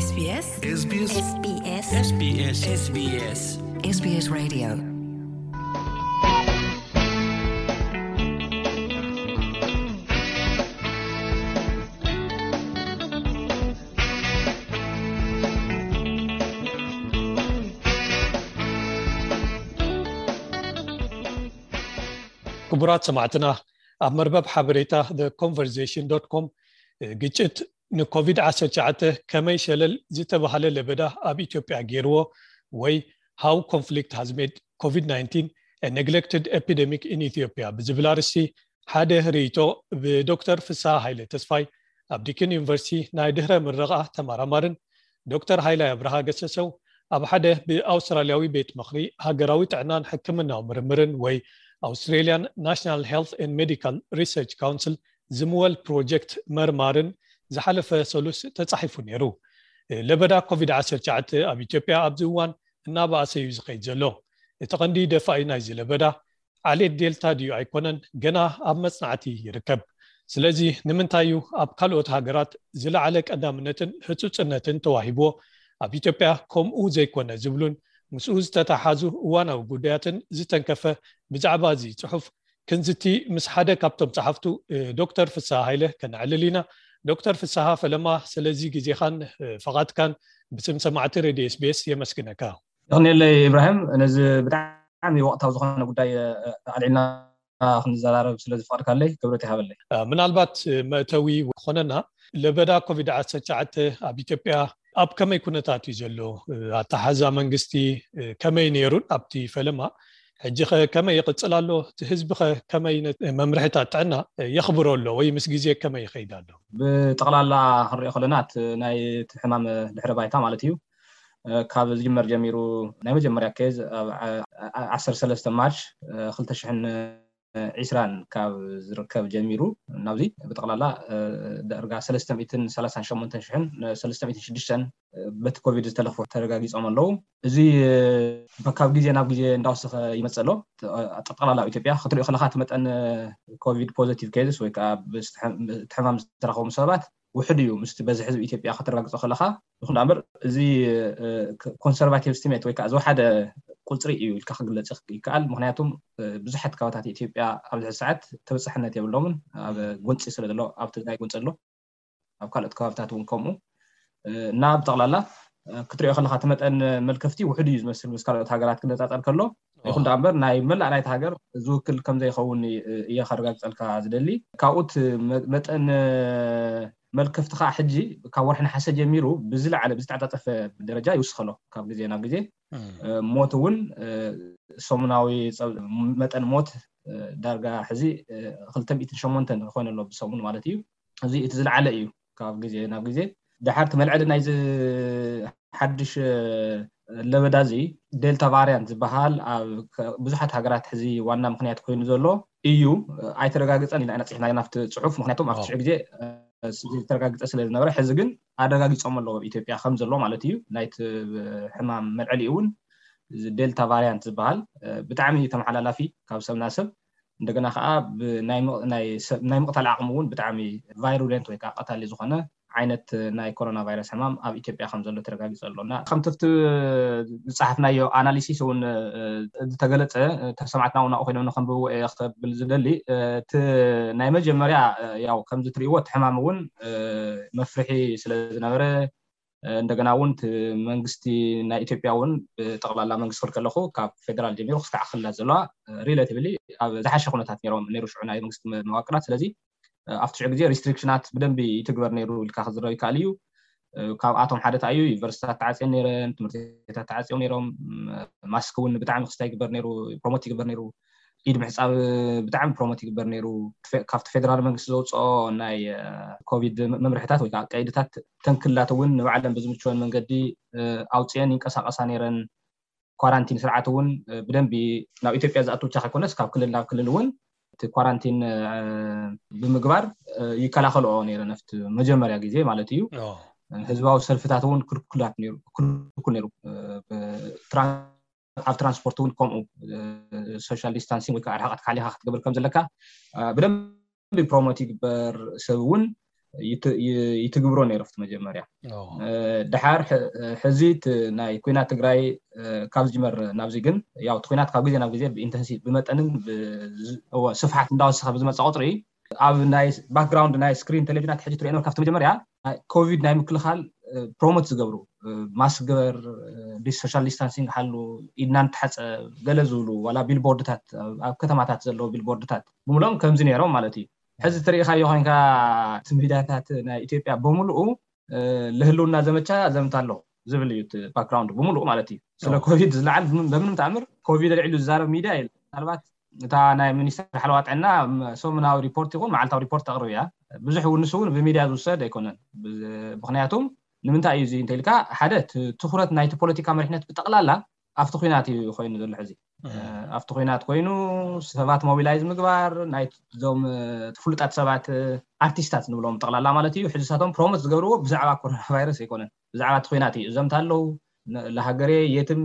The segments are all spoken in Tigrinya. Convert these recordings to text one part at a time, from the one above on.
SBS SBS SBS SBS SBS SBS Radio. ክቡራት ሰማዕትና፣ ኣብ መርበብ ሓበሬታ the conversation dot com፣ ግጭት ንኮቪድ ዓሰርተ ትሽዓተ ከመይ ሸለል ዝተባህለ ለበዳ ኣብ ኢትዮጵያ ገይርዎ፣ ወይ How Conflict Has Made COVID nineteen a Neglected Epidemic in Ethiopia ብዝብል ኣርእስቲ ሓደ ርእይቶ ብዶክተር ፍስሃ ሃይለ ተስፋይ፣ ኣብ ዲኪን ዩኒቨርሲቲ ናይ ድህረ ምረቓ ተመራማርን፣ ዶክተር ሃይላይ ኣብርሃ ገሰሰው፣ ኣብ ሓደ ብኣውስትራልያዊ ቤት ምኽሪ ሃገራዊ ጥዕናን ሕክምናዊ ምርምርን ወይ Australian National Health and Medical Research Council ዝምወል ፕሮጀክት መርማርን ዝሓለፈ ሰሉስ ተጻሒፉ ነይሩ። ለበዳ ኮቪድ ዓሰርተ ትሽዓተ ኣብ ኢትዮጵያ ኣብዚ እዋን እናበኣሰ እዩ ዝኸይድ ዘሎ። እቲ ቀንዲ ደፋኢ ናይዚ ለበዳ ዓሌት ዴልታ ድዩ ኣይኮነን፣ ገና ኣብ መጽናዕቲ ይርከብ። ስለዚ ንምንታይ እዩ ኣብ ካልኦት ሃገራት ዝለዓለ ቀዳምነትን ህጹጽነትን ተዋሂብዎ፣ ኣብ ኢትዮጵያ ከምኡ ዘይኮነ ዝብሉን ምስኡ ዝተተሓዙ እዋናዊ ጉዳያትን ዝተንከፈ፣ ብዛዕባ እዚ ጽሑፍ ክንዝቲ ምስ ሓደ ካብቶም ጸሓፍቱ፣ እ፣ ዶክተር ፍስሃ ሃይለ ከነዕልል ኢና። ዶክተር ፍስሃ፣ ፈለማ ስለዚ ግዜኻን፣ እ፣ ፈቓድካን ብስም ሰማዕቲ ሬድዮ ኤስቢኤስ የመስግነካ። የቕንየለይ ኢብራሂም፣ ነዚ ብጣዕሚ ወቕታዊ ዝኾነ ጉዳይ፣ እ፣ ኣልዒልና ክንዘራረብ ስለ ዝፈቐድካለይ ክብረት ይሃበለይ። እ፣ ምናልባት፣ እ፣ መእተዊ ክኾነና፣ ለበዳ ኮቪድ ዓሰርተ ትሽዓተ ኣብ ኢትዮጵያ ኣብ ከመይ ኩነታት እዩ ዘሎ? እ፣ ኣተሓዛ መንግስቲ፣ እ፣ ከመይ ነይሩን ኣብቲ ፈለማ፣ ሕጂ ኸ ከመይ ይቕጽል ኣሎ? እቲ ህዝቢ ኸ ከመይ ነ-፣ መምርሒታት ጥዕና የኽብሮ ኣሎ ወይ ምስ ግዜ ከመይ ይኸይድ ኣሎ? ብጠቕላላ ክንሪኦ ከለና፣ እቲ ናይ እቲ ሕማም ድሕረ ባይታ ማለት እዩ፣ እ፣ ካብ ዝጅመር ጀሚሩ፣ ናይ መጀመርያ ኬዝ ኣብ ዓ-፣ ዓ-፣ ዓሰርተ ሰለስተ ማርች፣ እ፣ ክልተ ሽሕን ዒስራን ካብ ዝርከብ ጀሚሩ ናብዚ ብጠቕላላ፣ እ፣ ዳርጋ ሰለስተ ሚእትን ሰላሳን ሸሞንተን ሽሕን ሰለስተ ሚእትን ሽዱሽተን በቲ ኮቪድ ዝተለኽፉ ተረጋጊጾም ኣለዉ። እዚ፣ እ፣ ካብ ግዜ ናብ ግዜ እንዳወሰኸ ይመጽእ ኣሎ። ጥ-፣ ጠቕላላ ኣብ ኢትዮጵያ ክትሪኦ ከለኻ፣ እቲ መጠን፣ እ፣ ኮቪድ ፖዘቲቭ ኬዝስ ወይ ከዓ ብዝተሐ-፣ እቲ ሕማም ዝተረኸቡ ሰባት ውሑድ እዩ ምስቲ በዝሒ ህዝቢ ኢትዮጵያ ከተረጋግጾ ከለኻ። ይኹን ደኣ እምበር፣ እዚ፣ እ፣ ኮ-፣ ኮንሰርቫቲቭ ስቲሜት ወይ ከዓ ዝወሓደ ቁጽሪ እዩ ኢልካ ክግለጽ ይክ-፣ ይከኣል። ምኽንያቱም፣ እ፣ ብዙሓት ከባታት ኢትዮጵያ ኣብዚ ሕዚ ሰዓት ተበጻሕነት የብሎምን፣ ኣብ ጎንጺ ስለ ዘሎ፣ ኣብ ትግራይ ጎንጺ ኣሎ፣ ኣብ ካልኦት ከባብታት እውን ከምኡ። እ፣ እና ብጠቕላላ፣ እ፣ ክትሪኦ ከለኻ፣ እቲ መጠን መልከፍቲ ውሑድ እዩ ዝመስል ምስ ካልኦት ሃገራት ክነጻጸር ከሎ። ይኹን ደኣ እምበር፣ ናይ መላእ ናይቲ ሃገር ዝውክል ከም ዘይኸውን እየ፣ እየ ከረጋግጸልካ ዝደሊ። ካብኡ እቲ መ-፣ መጠን፣ እ፣ መልከፍቲ ከዓ ሕጂ ካብ ወርሒ ነሓሰ ጀሚሩ ብዝለዓለ፣ ብዝተዓጻጸፈ ደረጃ ይውስኸ ኣሎ ካብ ግዜ ናብ ግዜ። እም። እ፣ ሞት እውን፣ እ፣ ሰሙናዊ ጸብ-፣ መጠን ሞት፣ እ፣ ዳርጋ ሕዚ፣ እ፣ ክልተ ሚእትን ሸሞንተን ኮይኑ ኣሎ ብሰሙን ማለት እዩ። እዚ እቲ ዝለዓለ እዩ ካብ ግዜ ናብ ግዜ። ደሓር እቲ መልዐሊ ናይዚ ሓድሽ፣ እ፣ ለበዳ እዚ ዴልታ ቫርያንት ዝበሃል ኣብ ከ-፣ ብዙሓት ሃገራት ሕዚ ዋና ምኽንያት ኮይኑ ዘሎ እዩ። እ፣ ኣይተረጋገጸን ኢና ነጺሕና ናብቲ ጽሑፍ፣ ምኽንያቱም ኣብቲ ሽዑ ግዜ፣ እ፣ ዝተረጋገጸ ስለ ዝነበረ፣ ሕዚ ግን ኣረጋጊጾም ኣለዉ ኣብ ኢትዮጵያ ከም ዘሎ ማለት እዩ። ናይቲ ሕማም መልዐሊ እውን እዚ ዴልታ ቫርያንት ዝበሃል፣ እ፣ ብጣዕሚ ተመሓላላፊ ካብ ሰብ ናብ ሰብ፣ እንደገና ከዓ ብናይ ም-፣ ናይ ሰብ፣ ናይ ምቕታል ዓቕሙ እውን ብጣዕሚ ቫይሩሌንት ወይ ከዓ ቀታሊ ዝኾነ ዓይነት ናይ ኮሮና ቫይረስ ሕማም ኣብ ኢትዮጵያ ከም ዘሎ ተረጋጊጹ ኣሎ። እና ከምቲ ኣብቲ ዝጸሓፍናዮ ኣናሊሲስ እውን፣ እ፣ ዝተገለጸ፣ እ፣ ተሰማዕትና እውን ኣብኡ ኮይኖም ንኸንብብዎ እየ ክብል ዝደሊ። እ፣ እቲ ናይ መጀመርያ፣ እ፣ ያው ከምዚ ትርእይዎ እቲ ሕማም እውን፣ እ፣ መፍርሒ ስለ ዝነበረ፣ እ፣ እንደገና እውን እቲ መንግስቲ ናይ ኢትዮጵያ እውን ብጠቕላላ መንግስቲ ክብል ከለኹ ካብ ፌደራል ጀሚሩ ክሳዕ ክልላት ዘለዋ፣ እ፣ ሪሌቲቭሊ ኣብ ዝሓሸ ኩነታት ነይሮም፣ ነይሩ ሽዑ ናይ መንግስቲ መ-፣ መዋቅራት። ስለዚ፣ እ፣ ኣብቲ ሽዑ ግዜ ሪስትሪክሽናት ብደንቢ ይትግበር ነይሩ ኢልካ ክዝረብ ይከኣል እዩ። እ፣ ካብኣቶም ሓደ እንታይ እዩ፣ ዩኒቨርሲቲታት ተዓፅዮም ነይረን፣ ትምህርቲ ቤታት ተዓፅዮም ነይሮም፣ ም-፣ ማስክ እውን ብጣዕሚ ክስታይ ይግበር ነይሩ፣ ፕሮሞት ይግበር ነይሩ። ኢድ ምሕፃብ ብጣዕሚ ፕሮሞት ይግበር ነይሩ። ፌ-፣ ካብቲ ፌደራል መንግስቲ ዘውፅኦ ናይ፣ እ፣ ኮቪድ መ-፣ መምርሕታት ወይ ከዓ ቀይድታት፣ ተንክላት እውን ንባዕለን ብዝምችወን መንገዲ፣ እ፣ ኣውፅኤን ይንቀሳቐሳ ነይረን። ኳራንቲን ስርዓት እውን፣ እ፣ ብደንቢ ናብ ኢትዮጵያ ዝኣቱ ብቻ ከይኮነስ ካብ ክልል ናብ ክልል እውን እቲ ኳራንቲን፣ እ፣ ብምግባር፣ እ፣ ይከላኸልኦ ነይረን ኣብቲ መጀመርያ ግዜ ማለት እዩ። ኦ። ህዝባዊ ሰልፍታት እውን ክልኩላት ነይሩ፣ ክልኩል ነይሩ። እ፣ ብትራን-፣ ኣብ ትራንስፖርት እውን ከምኡ፣ እ፣ ሶሻል ዲስታንሲንግ ወይ ከዓ ርሕቀትካ ሓሊኻ ክትገብር ከም ዘለካ፣ እ፣ ብደንቢ ፕሮሞት ይግበር። ሰብ እውን ይትግብሮ ነይሩ ኣብቲ መጀመርያ። ድሓር ሕዚ ናይ ኩናት ትግራይ ካብ ዝጅመር ናብዚ ግን፣ ያው እቲ ኩናት ካብ ግዜ ናብ ግዜ ብኢንተንሲቭ ብመጠንን ስፍሓት እንዳወሰኸ ብዝመፀ ቁፅሪ፣ ኣብ ናይ ባክግራውንድ ናይ ስክሪን ቴሌቪዥናት ሕጂ ትሪኦ ነበርካ ኣብቲ መጀመርያ ኮቪድ ናይ ምክልኻል ፕሮሞት ዝገብሩ፣ ማስክ ግበር፣ ሶሻል ዲስታንሲንግ ሓሉ፣ ኢድና ንተሓፀብ ገለ ዝብሉ ዋላ ቢልቦርድታት፣ ኣብ ከተማታት ዘለዉ ቢልቦርድታት ብምሎም ከምዚ ነይሮም ማለት እዩ። ሕዚ ትሪኢኻዮ ኮይንካ እቲ ሚድያታት ናይ ኢትዮጵያ ብምልኡ ለህልውና ዘመቻ ዘምታ ኣሎ ዝብል እዩ እቲ ባክግራውንድ ብምልኡ ማለት እዩ። ስለ ኮቪድ ዝለዓል በምንም ተኣምር ኮቪድ ኣልዒሉ ዝዛረብ ሚድያ የለ። ምናልባት እታ ናይ ሚኒስትር ሓለዋ ጥዕና ሰሙናዊ ሪፖርት ይኹን መዓልታዊ ሪፖርት ተቕርብ እያ። ብዙሕ እውን ንሱ እውን ብሚድያ ዝውሰድ ኣይኮነን። ምክንያቱም ንምንታይ እዩ እዚ እንተኢልካ፣ ሓደ ትኩረት ናይቲ ፖለቲካ መሪሕነት ብጠቕላላ ኣብቲ ኩናት እዩ ኮይኑ ዘሎ። ሕዚ ኣብቲ ኩናት ኮይኑ ሰባት ሞቢላይዝ ምግባር፣ ናይዞም ፍሉጣት ሰባት፣ ኣርቲስታት ንብሎም ጠቕላላ ማለት እዩ፣ ሕዚ ሳቶም ፕሮሞት ዝገብርዎ ብዛዕባ ኮሮና ቫይረስ ኣይኮነን፣ ብዛዕባ እቲ ኩናት እዩ። እዘምታ ኣለዉ፣ ለሃገሬ የትም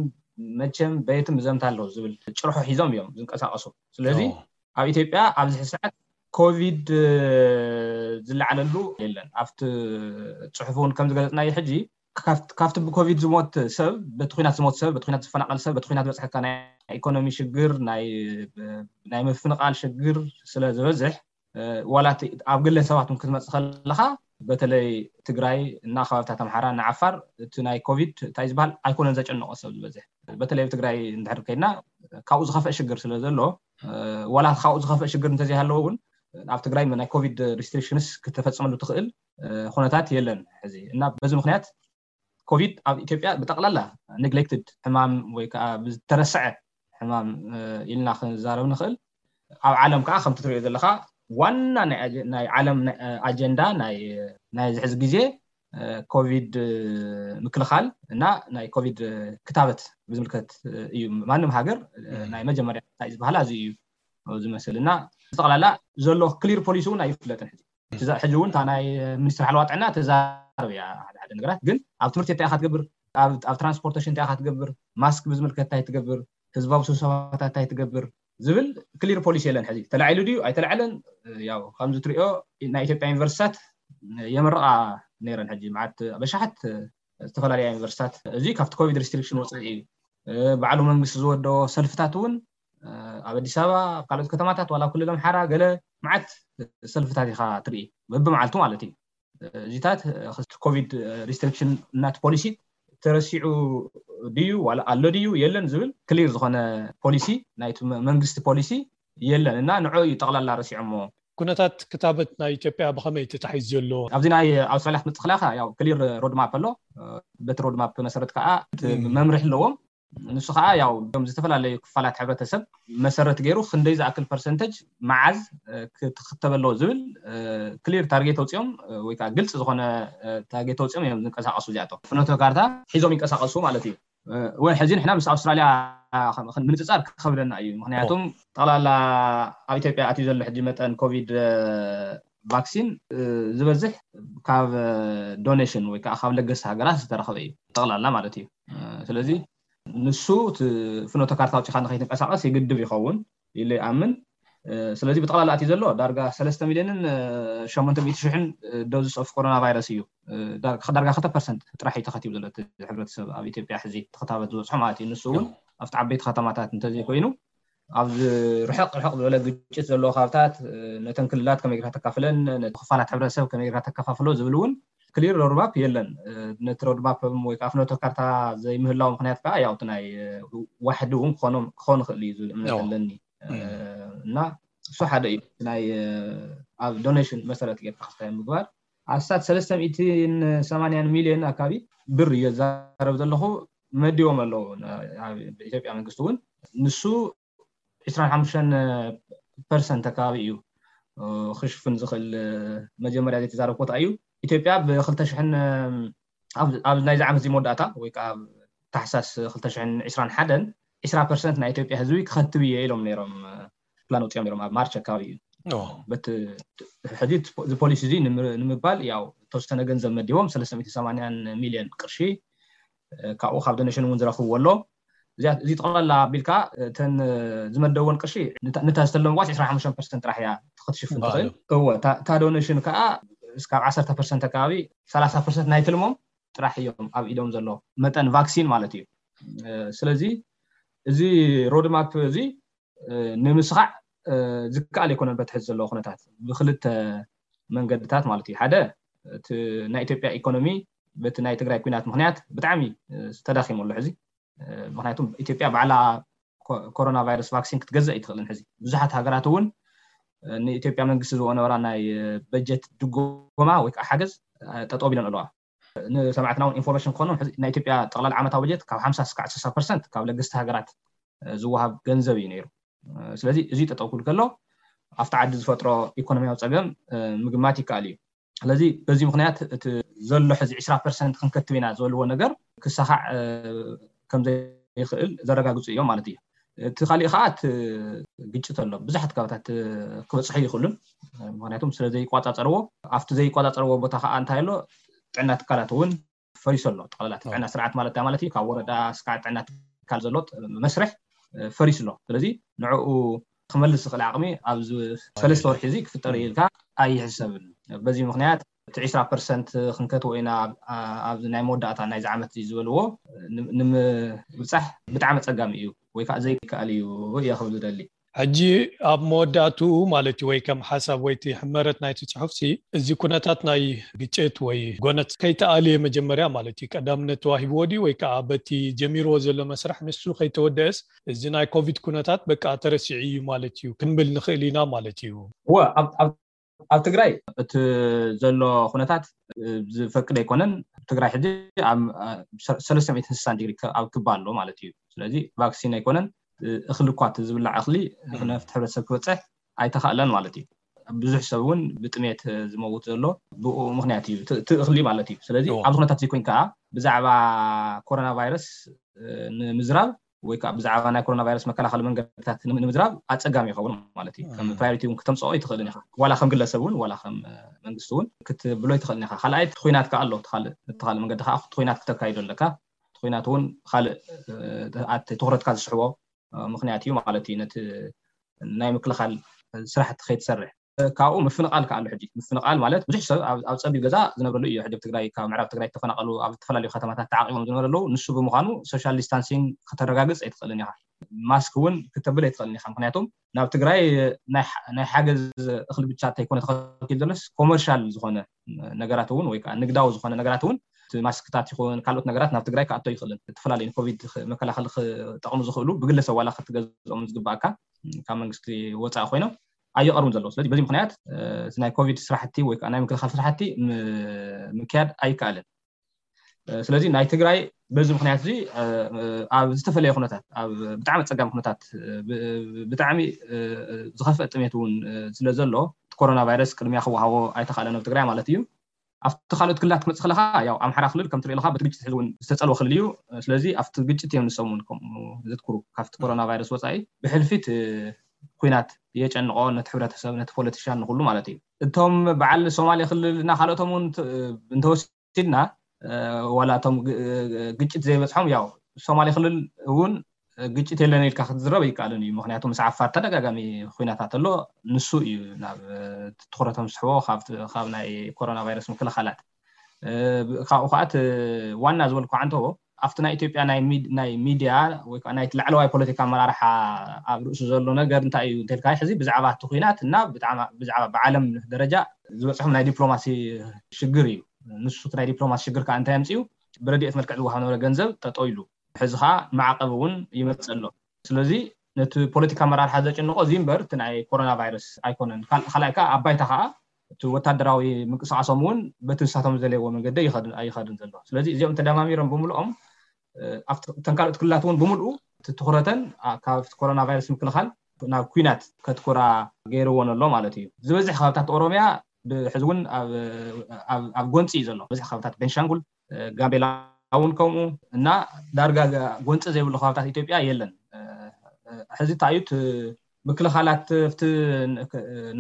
መቸም በየትም እዘምታ ኣለዉ ዝብል ጭርሖ ሒዞም እዮም ዝንቀሳቐሱ። ስለዚ ኣብ ኢትዮጵያ ኣብዚ ሰዓት ኮቪድ ዝለዓለሉ የለን። ኣብቲ ፅሑፍ እውን ከም ዝገለፅናዮ ሕጂ ካብቲ ብኮቪድ ዝሞት ሰብ፣ በቲ ኩናት ዝሞት ሰብ፣ በቲ ኩናት ዝፈናቐል ሰብ፣ በቲ ኩናት ዝበፅሐካ ናይ ኢኮኖሚ ሽግር፣ ናይ ምፍንቓል ሽግር ስለ ዝበዝሕ፣ ዋላ ኣብ ግለ ሰባት ክትመፅእ ከለኻ፣ በተለይ ትግራይ እና ከባብታት ኣምሓራ እና ዓፋር እቲ ናይ ኮቪድ እንታይ ዝበሃል ኣይኮነን ዘጨነቆ ሰብ ዝበዝሕ። በተለይ ኣብ ትግራይ እንድሕር ከይድና ካብኡ ዝኸፍአ ሽግር ስለ ዘሎ፣ ዋላ ካብኡ ዝኸፍአ ሽግር እንተዘይሃለዎ እውን ኣብ ትግራይ ናይ ኮቪድ ሪስትሪክሽንስ ክተፈፅመሉ ትኽእል ኩነታት የለን ሕዚ። እና በዚ ምክንያት ኮቪድ ኣብ ኢትዮጵያ ብጠቕላላ ኔግሌክትድ ሕማም ወይ ከዓ ዝተረስዐ ሕማም ኢልና ክንዛረብ ንኽእል። ኣብ ዓለም ከዓ ከምቲ ትሪኦ ዘለኻ ዋና ናይ ዓለም ኣጀንዳ ናይ ሕዚ ግዜ ኮቪድ ምክልኻል እና ናይ ኮቪድ ክታበት ብዝምልከት እዩ። ማንም ሃገር ናይ መጀመርያ ዝበሃላ እዚ እዩ ዝመስል። እና ብጠቕላላ ዘሎ ክሊር ፖሊሲ እውን ኣይፍለጥን ሕዚ። ሕጂ እውን እታ ናይ ሚኒስትር ሓለዋ ጥዕና ተዛረብ እያ ሓደ ሓደ ነገራት፣ ግን ኣብ ትምህርቲ እንታይ ኢኻ ትገብር፣ ኣብ ትራንስፖርቴሽን እንታይ ኢኻ ትገብር፣ ማስክ ብዝምልከት እንታይ ትገብር፣ ህዝባዊ ስብሰባታት እንታይ ትገብር ዝብል ክሊር ፖሊሲ የለን። ሕዚ ተላዒሉ ድዩ ኣይተላዕለን? ያው ከምዚ ትሪኦ ናይ ኢትዮጵያ ዩኒቨርሲታት የመርቓ ነይረን። ሕጂ መዓት በሻሓት ዝተፈላለያ ዩኒቨርሲታት፣ እዚ ካብቲ ኮቪድ ሪስትሪክሽን ወፃኢ እዩ። ባዕሉ መንግስቲ ዝወደኦ ሰልፍታት እውን ኣብ ኣዲስ ኣበባ፣ ኣብ ካልኦት ከተማታት፣ ዋላ ኣብ ክልል ኣምሓራ ገለ መዓት ሰልፍታት ኢኻ ትርኢ፣ በብመዓልቱ ማለት እዩ። እዚታት ኮቪድ ሪስትሪክሽን እናቲ ፖሊሲ ተረሲዑ ድዩ ዋላ ኣሎ ድዩ የለን ዝብል ክሊር ዝኾነ ፖሊሲ፣ ናይቲ መንግስቲ ፖሊሲ የለን እና ንዑ እዩ ጠቕላላ ረሲዖሞ። ኩነታት ክታበት ናይ ኢትዮጵያ ብኸመይ ተታሒዙ ዘሎ? ኣብዚ ናይ ኣውስትራሊያ ክትመፅእ ከለካ ያው ክሊር ሮድማፕ ኣሎ። በቲ ሮድማፕ መሰረት ከዓ መምርሒ ኣለዎም። ንሱ ከዓ ያው ም ዝተፈላለዩ ክፋላት ሕብረተሰብ መሰረት ገይሩ ክንደይ ዝኣክል ፐርሰንተጅ መዓዝ ክትኽተብ ኣለዎ ዝብል ክሊር ታርጌት ኣውፅኦም ወይ ከዓ ግልፂ ዝኾነ ታርጌት ኣውፅኦም እዮም ዝንቀሳቀሱ። እዚኣቶም ፍኖተ ካርታ ሒዞም ይንቀሳቀሱ ማለት እዩ። ወይ ሕዚ ንሕና ምስ ኣውስትራሊያ ምንፅፃር ክኸብደና እዩ። ምክንያቱም ጠቕላላ ኣብ ኢትዮጵያ ኣትዩ ዘሎ ሕጂ መጠን ኮቪድ ቫክሲን ዝበዝሕ ካብ ዶኔሽን ወይ ከዓ ካብ ለገስቲ ሃገራት ዝተረኸበ እዩ ጠቕላላ ማለት እዩ። ስለዚ ንሱ እቲ ፍኖተ ካርታ ኣውፂኻ ንኸይትንቀሳቀስ ይግድብ ይኸውን ኢለ ይኣምን። ስለዚ ብጠቕላላ ኣትዩ ዘሎ ዳርጋ ሰለስተ ሚልዮንን ሸሞንተ ሚእቲ ሽሕን ዶዝስ ኦፍ ኮሮና ቫይረስ እዩ። ዳርጋ ክልተ ፐርሰንት ጥራሕ እዩ ተኸቲቡ ዘሎ እቲ ሕብረተሰብ ኣብ ኢትዮጵያ ሕዚ ተኸታበት ዝበፅሖ ማለት እዩ። ንሱ እውን ኣብቲ ዓበይቲ ከተማታት እንተዘይኮይኑ ኣብዚ ርሕቕ ርሕቕ ዝበለ ግጭት ዘለዎ ካብታት ነተን ክልላት ከመይ ጌርካ ተካፍለን፣ ነቲ ክፋላት ሕብረተሰብ ከመይ ጌርካ ተከፋፍሎ ዝብል እውን ክሊር ሮድማፕ የለን። ነቲ ሮድማፕ ወይ ከዓ ፍኖተ ካርታ ዘይምህላው ምክንያት ከዓ ያው እቲ ናይ ዋሕዲ እውን ክኾኑ ክኽእል እዩ ዝብል እምነት ኣለኒ። እና እሱ ሓደ እዩ ናይ ኣብ ዶኔሽን መሰረት ጌርካ ክስታይ ምግባር። ኣስታት ሰለስተ ሚእትን ሰማንያን ሚልዮን ኣካባቢ ብር እየ ዝዛረብ ዘለኹ መዲቦም ኣለዉ። ኢትዮጵያ መንግስቲ እውን ንሱ ዕስራን ሓሙሽተን ፐርሰንት ኣካባቢ እዩ ክሽፍን ዝኽእል። መጀመርያ ዘይተዛረብኮ እዩ። ኢትዮጵያ ብክልተ ሽሕን ኣብ ናይዚ ዓመት እዚ መወዳእታ ወይ ከዓ ኣብ ታሕሳስ ክልተ ሽሕን ዕስራን ሓደን ዕስራ ፐርሰንት ናይ ኢትዮጵያ ህዝቢ ክኸትብ እየ ኢሎም ነይሮም ፕላን ወፂኦም ነይሮም ኣብ ማርች ኣካባቢ እዩ። በቲ ሕዚ እዚ ፖሊሲ እዚ ንምባል ያው ተወሰነ ገንዘብ መዲቦም ሰለስተ ሚእቲ ሰማንያን ሚልዮን ቅርሺ ካብኡ ካብ ዶኔሽን እውን ዝረኽብዎ ኣሎ። እዚ ጠቕላላ ኣቢልካ እተን ዝመደብወን ቅርሺ ንታ ዝተለምዋ ዕስራን ሓሙሽተን ፐርሰንት ጥራሕ እያ ክትሽፍን ትኽእል። እወ እታ ዶኔሽን ከዓ እስካብ ዓሰርተ ፐርሰንት ኣካባቢ፣ ሰላሳ ፐርሰንት ናይ ትልሞም ጥራሕ እዮም ኣብ ኢዶም ዘሎ መጠን ቫክሲን ማለት እዩ። ስለዚ እዚ ሮድማፕ እዚ ንምስኻዕ ዝከኣል ኣይኮነን። በትሕዚ ዘለዎ ኩነታት ብክልተ መንገድታት ማለት እዩ። ሓደ፣ እቲ ናይ ኢትዮጵያ ኢኮኖሚ በቲ ናይ ትግራይ ኩናት ምክንያት ብጣዕሚ ተዳኺሙ ኣሎ ሕዚ። ምክንያቱም ኢትዮጵያ ባዕላ ኮሮና ቫይረስ ቫክሲን ክትገዝእ ኣይትኽእልን። ሕዚ ብዙሓት ሃገራት እውን ንኢትዮጵያ መንግስቲ ዝነበራ ናይ በጀት ድጎማ ወይ ከዓ ሓገዝ ጠጠው ቢለን ኣለዋ። ንሰማዕትና እውን ኢንፎርሜሽን ክኾኑ፣ ናይ ኢትዮጵያ ጠቕላላ ዓመታዊ በጀት ካብ ሓምሳ እስካዕ ስሳ ፐርሰንት ካብ ለገስቲ ሃገራት ዝወሃብ ገንዘብ እዩ ነይሩ። ስለዚ እዚ ጠጠው ክብል ከሎ ኣብቲ ዓዲ ዝፈጥሮ ኢኮኖሚያዊ ፀገም ምግማት ይከኣል እዩ። ስለዚ በዚ ምክንያት እቲ ዘሎ ሕዚ ዕስራ ፐርሰንት ክንከትብ ኢና ዝበልዎ ነገር ክሳኻዕ ከምዘይኽእል ዘረጋግፁ እዮም ማለት እዩ። እቲ ካሊእ ከዓ እቲ ግጭት ኣሎ። ብዙሓት ከባታት ክበፅሑ ይኽእሉን፣ ምክንያቱም ስለ ዘይቋፃፀርዎ፣ ኣብቲ ዘይቋፃፀርዎ ቦታ ከዓ እንታይ ኣሎ፣ ጥዕና ትካላት እውን ፈሪሱ ኣሎ። ጠቕላላ ጥዕና ስርዓት ማለት እንታይ ማለት እዩ? ካብ ወረዳ እስካዕ ጥዕና ትካል ዘሎ መስርሕ ፈሪሱ ኣሎ። ስለዚ ንዕኡ ክመልስ ዝኽእል ዓቕሚ ኣብዚ ሰለስተ ወርሒ እዚ ክፍጠር እዩ ኢልካ ኣይሕሰብን። በዚ ምክንያት እቲ ዕስራ ፐርሰንት ክንከትዎ ኢና ኣብዚ ናይ መወዳእታ ናይዚ ዓመት ዝበልዎ ንምብፃሕ ብጣዕሚ ኣፀጋሚ እዩ ወይ ከዓ ዘይከኣል እዩ እየ ክብል ዝደሊ። ሕጂ ኣብ መወዳእትኡ ማለት እዩ፣ ወይ ከም ሓሳብ ወይ እቲ ሕመረት ናይቲ ፅሑፍሲ፣ እዚ ኩነታት ናይ ግጭት ወይ ጎነት ከይተኣልየ መጀመርያ ማለት እዩ ቀዳምነት ተዋሂብዎ ድዩ፣ ወይ ከዓ በቲ ጀሚርዎ ዘሎ መስርሕ ንሱ ከይተወደአስ እዚ ናይ ኮቪድ ኩነታት በቃ ተረሲዑ እዩ ማለት እዩ ክንብል ንኽእል ኢና ማለት እዩ? እወ፣ ኣብ ትግራይ እቲ ዘሎ ኩነታት ዝፈቅድ ኣይኮነን። ትግራይ ሕዚ ሰለስተ ሚእትን ስሳን ዲግሪ ኣብ ክባ ኣሎ ማለት እዩ። ስለዚ ቫክሲን ኣይኮነን፣ እኽሊ እኳ፣ እቲ ዝብላዕ እኽሊ ነፍቲ ሕብረተሰብ ክበፅሕ ኣይተኻእለን ማለት እዩ። ብዙሕ ሰብ እውን ብጥሜት ዝመውት ዘሎ ብኡ ምክንያት እዩ፣ እቲ እኽሊ ማለት እዩ። ስለዚ ኣብዚ ኩነታት እዚ ኮይን ከዓ ብዛዕባ ኮሮና ቫይረስ ንምዝራብ ወይ ከዓ ብዛዕባ ናይ ኮሮና ቫይረስ መከላኸሊ መንገድታት ንምዝራብ ኣፀጋሚ ይኸውን ማለት እዩ። ከም ፕራዮሪቲ እውን ክተምፅኦ ኣይትኽእልን ኢኻ። ዋላ ከም ግለሰብ እውን ዋላ ከም መንግስቲ እውን ክትብሎ ኣይትኽእልን ኢኻ። ካልኣይ እቲ ኩናት ከዓ ኣሎ። እቲ ካልእ መንገዲ ከዓ እቲ ኩናት ክተካይዶ ኣለካ። እቲ ኩናት እውን ካልእ ኣቲ ትኩረትካ ዝስሕቦ ምክንያት እዩ ማለት እዩ። ነቲ ናይ ምክልኻል ስራሕቲ ከይትሰርሕ ካብኡ ምፍንቓል ከዓ ኣሎ። ሕጂ ምፍንቓል ማለት ብዙሕ ሰብ ኣብ ፀቢብ ገዛ ዝነብረሉ እዩ። ሕጂ ኣብ ትግራይ ካብ ምዕራብ ትግራይ ተፈናቐሉ ኣብ ዝተፈላለዩ ከተማታት ተዓቂቦም ዝነብሩ ኣለዉ። ንሱ ብምዃኑ ሶሻል ዲስታንሲንግ ከተረጋግፅ ኣይትኽእልን ኢኻ። ማስክ እውን ክተብል ኣይትኽእልን ኢኻ። ምክንያቱም ናብ ትግራይ ናይ ሓገዝ እኽሊ ብቻ እንተይኮነ ተኸልኪሉ ዘሎስ ኮመርሻል ዝኾነ ነገራት እውን ወይ ከዓ ንግዳዊ ዝኾነ ነገራት እውን እቲ ማስክታት ይኹን ካልኦት ነገራት ናብ ትግራይ ክኣቶ ይኽእልን። ዝተፈላለዩ ንኮቪድ መከላኸሊ ክጠቕሙ ዝኽእሉ ብግለሰብ ዋላ ክትገዝኦም ዝግባኣካ ካብ መንግስቲ ወፃኢ ኮይኖም ኣይቐርቡን ዘለዉ። ስለዚ በዚ ምክንያት እቲ ናይ ኮቪድ ስራሕቲ ወይ ከዓ ናይ ምክልኻል ስራሕቲ ምክያድ ኣይከኣልን። ስለዚ ናይ ትግራይ በዚ ምክንያት እዚ ኣብ ዝተፈለየ ኩነታት፣ ኣብ ብጣዕሚ ፀጋሚ ኩነታት፣ ብጣዕሚ ዝኸፍአ ጥሜት እውን ስለ ዘሎ እቲ ኮሮና ቫይረስ ቅድሚያ ክወሃቦ ኣይተኻእለን ኣብ ትግራይ ማለት እዩ። ኣብቲ ካልኦት ክልላት ክመፅእ ከለካ ያው ኣምሓራ ክልል ከምቲ ሪኢልካ በቲ ግጭት ሕዚ እውን ዝተፀልወ ክልል እዩ። ስለዚ ኣብቲ ግጭት እዮም ንሶም እውን ከምኡ ዘትኩሩ። ካብቲ ኮሮና ቫይረስ ወፃኢ ብሕልፊ እቲ ኩናት የጨንቆ ነቲ ሕብረተሰብ፣ ነቲ ፖለቲሻን፣ ንኩሉ ማለት እዩ። እቶም በዓል ሶማሌ ክልል እና ካልኦቶም እውን እንተወሲድና ዋላ እቶም ግጭት ዘይበፅሖም ያው ሶማሌ ክልል እውን ግጭት የለን ኢልካ ክትዝረብ ኣይከኣልን እዩ። ምክንያቱ ምስ ዓፋር ተደጋጋሚ ኩናታት ኣሎ። ንሱ እዩ ናብ ትኩረቶም ዝስሕቦ ካብ ናይ ኮሮና ቫይረስ ምክልኻላት። ካብኡ ከዓ እቲ ዋና ዝበልኩ ዓንተቦ ኣብቲ ናይ ኢትዮጵያ ናይ ሚድያ ወይ ከዓ ናይ ላዕለዋይ ፖለቲካ ኣመራርሓ ኣብ ርእሱ ዘሎ ነገር እንታይ እዩ እንተልካ ሕዚ ብዛዕባ እቲ ኩናት እና ብዛዕባ ብዓለም ደረጃ ዝበፅሖም ናይ ዲፕሎማሲ ሽግር እዩ። ንሱ ናይ ዲፕሎማሲ ሽግር ከዓ እንታይ ኣምፅኡ? ብረድኤት መልክዕ ዝወሃብ ነበረ ገንዘብ ጠጠው ኢሉ፣ ሕዚ ከዓ ማዕቀብ እውን ይመፅእ ኣሎ። ስለዚ ነቲ ፖለቲካ ኣመራርሓ ዘጭንቆ እዚ እምበር እቲ ናይ ኮሮና ቫይረስ ኣይኮነን። ካልኣይ ከዓ ኣብ ባይታ ከዓ እቲ ወታደራዊ ምንቅስቃሶም እውን በቲ ንሳቶም ዘለይዎ መንገዲ ኣይኸድን ዘሎ። ስለዚ እዚኦም ተደማሚሮም ብምልኦም እተን ካልኦት ክልላት እውን ብምልኡ እቲ ትኩረተን ካብ ኮሮና ቫይረስ ምክልኻል ናብ ኩናት ከትኩራ ገይርዎን ኣሎ ማለት እዩ። ዝበዝሕ ከባብታት ኦሮሚያ ብሕዚ እውን ኣብ ጎንፂ እዩ ዘሎ። ዝበዝሕ ከባብታት ቤንሻንጉል፣ ጋምቤላ እውን ከምኡ እና ዳርጋ ጎንፂ ዘይብሉ ከባብታት ኢትዮጵያ የለን። ሕዚ እንታይ እዩ ምክልኻላት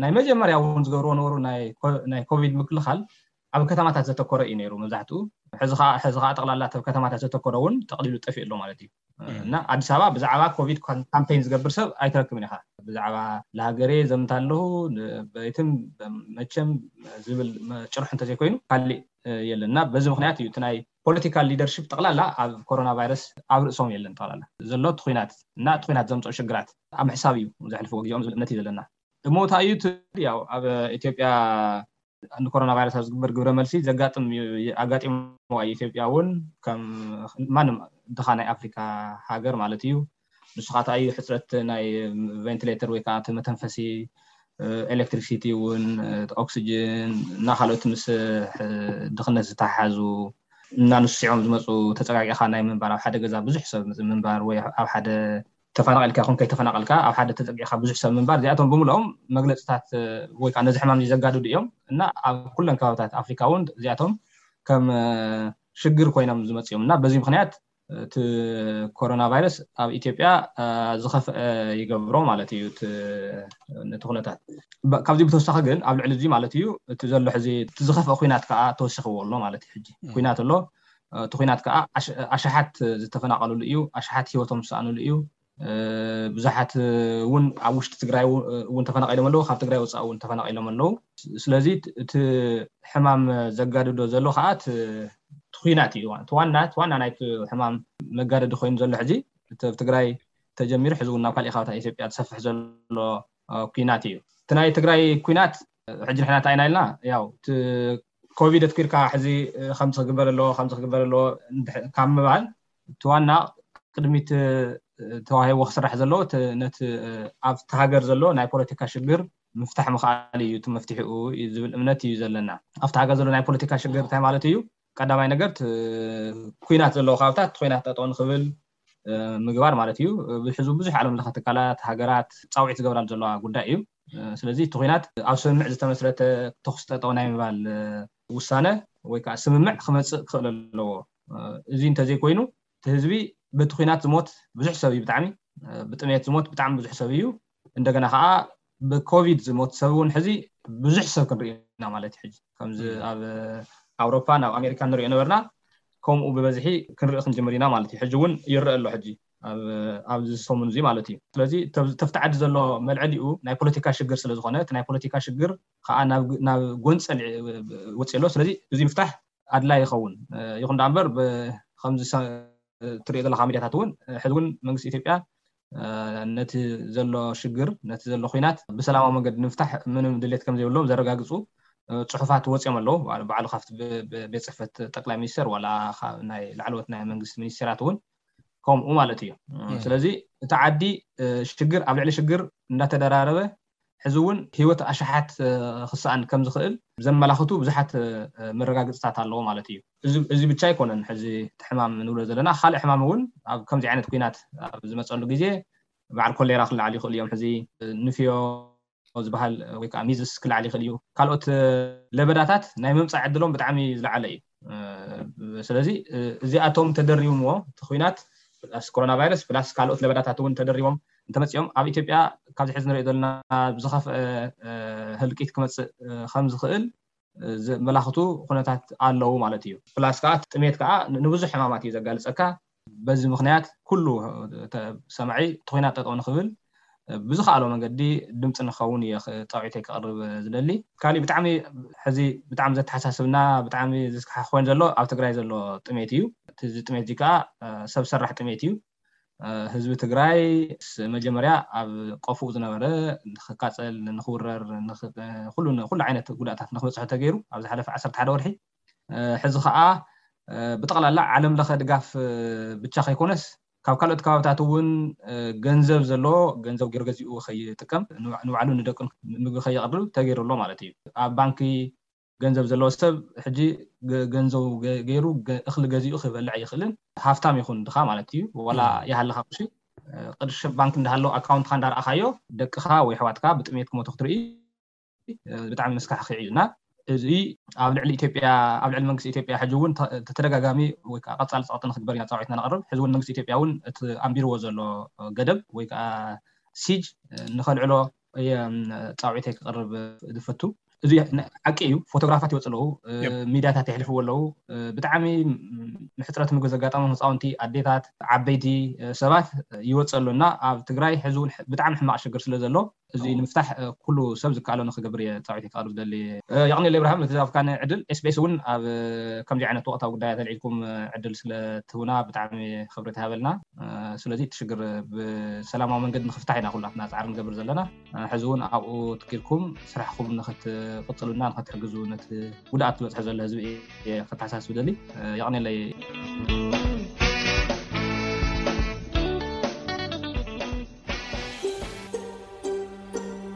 ናይ መጀመርያ እውን ዝገብርዎ ነበሩ ናይ ኮቪድ ምክልኻል ኣብ ከተማታት ዘተኮረ እዩ ነይሩ መብዛሕትኡ። ሕዚ ከዓ ጠቕላላ ኣብ ከተማታት ዘተኮረ እውን ጠቕሊሉ ጠፊኡ ኣሎ ማለት እዩ። እና ኣዲስ ኣበባ ብዛዕባ ኮቪድ ካምፔን ዝገብር ሰብ ኣይትረክብን ኢኻ። ብዛዕባ ለሃገሬ ዘምት ኣለሁ በይትም መቸም ዝብል ጭርሑ እንተዘይኮይኑ ካሊእ የለን። እና በዚ ምክንያት እዩ እቲ ናይ ፖለቲካል ሊደርሽፕ ጠቕላላ ኣብ ኮሮና ቫይረስ ኣብ ርእሶም የለን። ጠቕላላ ዘሎ እቲ ኲናት እና እቲ ኲናት ዘምፅኦ ሽግራት ኣብ ምሕሳብ እዩ ዘሕልፍዎ ግዜኦም ዝብል እምነት እዩ ዘለና። እሞ እንታይ እዩ እቲ ያው ኣብ ኢትዮጵያ ንኮሮና ቫይረስ ኣብ ዝግበር ግብረ መልሲ ዘጋጥም እዩ። ኣጋጢምዋ እዩ። ኢትዮጵያ እውን ከም ማንም ድኻ ናይ ኣፍሪካ ሃገር ማለት እዩ። ንሱ ከዓ እንታይ እዩ ሕፅረት ናይ ቬንቲሌተር ወይ ከዓ እቲ መተንፈሲ፣ ኤሌክትሪክሲቲ እውን፣ ኦክሲጅን እና ካልኦት ምስ ድኽነት ዝተሓሓዙ እና ንስዖም ዝመፁ ተፀጋጊኻ ናይ ምንባር ኣብ ሓደ ገዛ ብዙሕ ሰብ ምንባር ወይ ኣብ ሓደ ተፈናቒልካ ይኹን ከይተፈናቐልካ ኣብ ሓደ ተፀጊዕካ ብዙሕ ሰብ ምንባር እዚኣቶም ብምልኦም መግለፅታት ወይ ከዓ ነዚ ሕማም ዘጋድዱ እዮም። እና ኣብ ኩለን ከባብታት ኣፍሪካ እውን እዚኣቶም ከም ሽግር ኮይኖም ዝመፅኦም እና በዚ ምክንያት እቲ ኮሮና ቫይረስ ኣብ ኢትዮጵያ ዝኸፍአ ይገብሮ ማለት እዩ። ነቲ ኩነታት ካብዚ ብተወሳኺ ግን ኣብ ልዕሊ እዚ ማለት እዩ እቲ ዘሎ ሕዚ እቲ ዝኸፍአ ኩናት ከዓ ተወሲኽዎ ኣሎ ማለት እዩ። ሕጂ ኩናት ኣሎ። እቲ ኩናት ከዓ ኣሽሓት ዝተፈናቀሉሉ እዩ። ኣሽሓት ሂወቶም ዝሰኣኑሉ እዩ። ብዙሓት እውን ኣብ ውሽጢ ትግራይ እውን ተፈናቂሎም ኣለዉ። ካብ ትግራይ ወፃኢ እውን ተፈናቂሎም ኣለዉ። ስለዚ እቲ ሕማም ዘጋድዶ ዘሎ ከዓ እቲ ኩናት እዩ። ዋና ዋና ናይቲ ሕማም መጋደዲ ኮይኑ ዘሎ ሕዚ እቲ ኣብ ትግራይ ተጀሚሩ ሕዚ እውን ናብ ካልእ ከባቢታት ኢትዮጵያ ዝሰፍሕ ዘሎ ኩናት እዩ። እቲ ናይ ትግራይ ኩናት ሕጂ ንሕና እንታይ ኢና ኢልና ያው እቲ ኮቪድ ኣትኪርካ ሕዚ ከምዚ ክግበር ኣለዎ ከምዚ ክግበር ኣለዎ ካብ ምባል እቲ ዋና ቅድሚት ተዋሂቦ ክስራሕ ዘለዎ ነቲ ኣብቲ ሃገር ዘሎ ናይ ፖለቲካ ሽግር ምፍታሕ ምኽኣል እዩ እቲ መፍትሒኡ ዝብል እምነት እዩ ዘለና። ኣብቲ ሃገር ዘሎ ናይ ፖለቲካ ሽግር እንታይ ማለት እዩ? ቀዳማይ ነገር ኩናት ዘለዎ ካብታት ኩናት ጠጠው ንክብል ምግባር ማለት እዩ። ብሕዙ ብዙሕ ዓለም ለኸ ትካላት ሃገራት ፃውዒት ዝገብራሉ ዘለዋ ጉዳይ እዩ። ስለዚ እቲ ኩናት ኣብ ስምምዕ ዝተመስረተ ተኩስ ጠጠው ናይ ምባል ውሳነ ወይ ከዓ ስምምዕ ክመፅእ ክኽእል ኣለዎ። እዚ እንተዘይኮይኑ እቲ ህዝቢ በቲ ኩናት ዝሞት ብዙሕ ሰብ እዩ። ብጣዕሚ ብጥሜት ዝሞት ብጣዕሚ ብዙሕ ሰብ እዩ። እንደገና ከዓ ብኮቪድ ዝሞት ሰብ እውን ሕዚ ብዙሕ ሰብ ክንርኢ ኢና ማለት እዩ። ሕጂ ከምዚ ኣብ ኣውሮፓ ናብ ኣሜሪካ ንሪኦ ነበርና ከምኡ ብበዝሒ ክንርኢ ክንጅምር ኢና ማለት እዩ። ሕጂ እውን ይረአ ኣሎ ሕጂ ኣብዚ ሰሙን እዚ ማለት እዩ። ስለዚ ተፍቲ ዓዲ ዘሎ መልዐሊኡ ናይ ፖለቲካ ሽግር ስለዝኾነ እቲ ናይ ፖለቲካ ሽግር ከዓ ናብ ጎንፀል ወፂ ኣሎ። ስለዚ እዚ ምፍታሕ ኣድላይ ይኸውን ይኹን ዳ እምበር ከምዚ ትሪኦ ዘለካ ሚዲያታት እውን ሕዚ እውን መንግስቲ ኢትዮጵያ ነቲ ዘሎ ሽግር ነቲ ዘሎ ኩናት ብሰላማዊ መንገዲ ንምፍታሕ ምንም ድሌት ከም ዘይብሎም ዘረጋግፁ ፅሑፋት ወፂኦም ኣለዉ። ባዕሉ ካብቲ ቤት ፅሕፈት ጠቅላይ ሚኒስትር ዋላ ናይ ላዕለዎት ናይ መንግስቲ ሚኒስቴራት እውን ከምኡ ማለት እዩ። ስለዚ እቲ ዓዲ ሽግር ኣብ ልዕሊ ሽግር እንዳተደራረበ ሕዚ እውን ህይወት ኣሽሓት ክሰኣን ከም ዝኽእል ዘመላኽቱ ብዙሓት መረጋግፅታት ኣለዎ ማለት እዩ። እዚ ብቻ ኣይኮነን። ሕዚ እቲ ሕማም ንብሎ ዘለና ካልእ ሕማም እውን ኣብ ከምዚ ዓይነት ኩናት ኣብ ዝመፀሉ ግዜ በዓል ኮሌራ ክለዓል ይኽእሉ እዮም። ሕዚ ንፍዮ ዝበሃል ወይ ከዓ ሚዝስ ክለዓል ይኽእል እዩ። ካልኦት ለበዳታት ናይ ምምፃእ ዕድሎም ብጣዕሚ ዝለዓለ እዩ። ስለዚ እዚኣቶም ተደሪቦምዎ እቲ ኩናት ፕላስ ኮሮና ቫይረስ ፕላስ ካልኦት ለበዳታት እውን ተደሪቦም እንተመፂኦም ኣብ ኢትዮጵያ ካብዚ ሕዚ ንሪኦ ዘለና ብዝኸፍአ ህልቂት ክመፅእ ከም ዝኽእል ዘመላኽቱ ኩነታት ኣለዉ ማለት እዩ። ፕላስ ከዓ ጥሜት ከዓ ንብዙሕ ሕማማት እዩ ዘጋልፀካ። በዚ ምክንያት ኩሉ ሰማዒ እቲ ኩናት ጠጠው ንክብል ብዝከኣሎ መንገዲ ድምፂ ንኸውን እየ ፃውዒተይ ክቕርብ ዝደሊ። ካሊእ ብጣዕሚ ሕዚ ብጣዕሚ ዘተሓሳስብና ብጣዕሚ ዘስካሕክ ኮይኑ ዘሎ ኣብ ትግራይ ዘሎ ጥሜት እዩ። እዚ ጥሜት እዚ ከዓ ሰብ ሰራሕ ጥሜት እዩ። ህዝቢ ትግራይ መጀመርያ ኣብ ቆፍኡ ዝነበረ ንክቃፀል ንክውረር ኩሉ ዓይነት ጉዳእታት ንክበፅሖ ተገይሩ ኣብ ዝሓለፈ ዓሰርተ ሓደ ወርሒ ሕዚ ከዓ ብጠቕላላ ዓለም ለኸ ድጋፍ ብቻ ከይኮነስ ካብ ካልኦት ከባብታት እውን ገንዘብ ዘለዎ ገንዘብ ገይሩ ገዚኡ ከይጥቀም ንባዕሉ ንደቁን ምግቢ ከየቕርብ ተገይሩ ኣሎ ማለት እዩ። ኣብ ባንኪ ገንዘብ ዘለዎ ሰብ ሕጂ ገንዘቡ ገይሩ እኽሊ ገዚኡ ክበልዕ ኣይኽእልን። ሃፍታም ይኹን ድኻ ማለት እዩ። ዋላ ይሃልኻ ቅርሺ ቅርሺ ባንክ እንዳሃለው ኣካውንትካ እንዳረኣኻዮ ደቅኻ ወይ ኣሕዋትካ ብጥሜት ክሞቱ ክትርኢ ብጣዕሚ መስካሕኽዒ እዩ እና እዚ ኣብ ልዕሊ ኢትዮጵያ ኣብ ልዕሊ መንግስቲ ኢትዮጵያ ሕጂ እውን ተደጋጋሚ ወይ ከዓ ቀፃሊ ፀቕጢ ንክግበር ኢና ፃውዒትና ነቕርብ። ሕዚ እውን መንግስቲ ኢትዮጵያ እውን እቲ ኣንቢርዎ ዘሎ ገደብ ወይ ከዓ ሲጅ ንከልዕሎ እየ ፃውዒተይ ክቕርብ ዝፈቱ። እዚ ሓቂ እዩ። ፎቶግራፋት ይወፅ ኣለዉ፣ ሚዲያታት የሕልፍዎ ኣለዉ። ብጣዕሚ ምሕፅረት ምግቢ ዘጋጠሞም ህፃውንቲ፣ ኣዴታት፣ ዓበይቲ ሰባት ይወፅ ኣሎ እና ኣብ ትግራይ ሕዚ እውን ብጣዕሚ ሕማቕ ሽግር ስለ ዘሎ እዚ ንምፍታሕ ኩሉ ሰብ ዝከኣሎ ንክገብር እየ ፃዊት ከቅርብ ዝደሊ። የቕኒ ለብርሃም ነቲ ዝሃብካኒ ዕድል። ኤስቢኤስ እውን ኣብ ከምዚ ዓይነት ወቅታዊ ጉዳያት ኣልዒልኩም ዕድል ስለ ትህቡና ብጣዕሚ ክብሪ ትሃበልና። ስለዚ እቲ ሽግር ብሰላማዊ መንገዲ ንክፍታሕ ኢና ኩላትና ፃዕሪ ንገብር ዘለና። ሕዚ እውን ኣብኡ ትኪርኩም ስራሕኩም ንክትቅፅሉና ንክትሕግዙ ነቲ ጉድኣት ዝበፅሐ ዘሎ ህዝቢ እየ ከተሓሳስብ ደሊ። የቕኔለይ።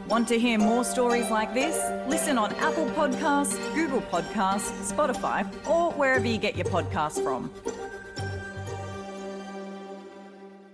Want to hear more stories like this? Listen on Apple Podcasts, Google Podcasts, Spotify, or wherever you get your podcasts from.